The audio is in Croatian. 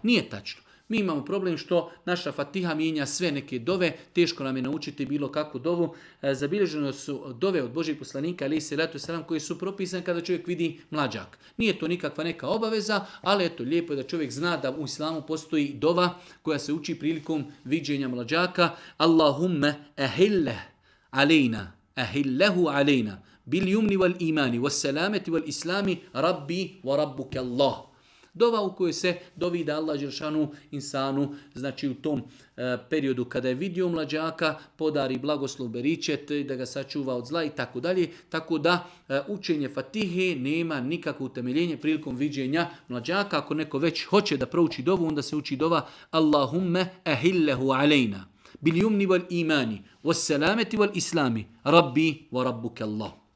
Nije tačno. Mi imamo problem što naša Fatiha mijenja sve neke dove, teško nam je naučiti bilo kakvu dovu. Zabilježeno su dove od Božih poslanika, ali se ratu selam, koji su propisane kada čovjek vidi mlađak. Nije to nikakva neka obaveza, ali eto, lijepo je da čovjek zna da u islamu postoji dova koja se uči prilikom viđenja mlađaka. Allahumme ahille alejna, ahillehu alejna, bil jumni wal imani, was salameti wal islami, rabbi wa rabbuke Allah. Dova u kojoj se dovi da Allah Đelšanu insanu, znači u tom periodu kada je vidio mlađaka, podari blagoslov beričet, da ga sačuva od zla i tako dalje. Tako da učenje Fatihe nema nikakvo utemeljenje prilikom viđenja mlađaka. Ako neko već hoće da prouči dovu, onda se uči dova Allahumme ahillehu alejna bil jumni wal imani was salameti wal islami rabbi wa rabbuke Allah.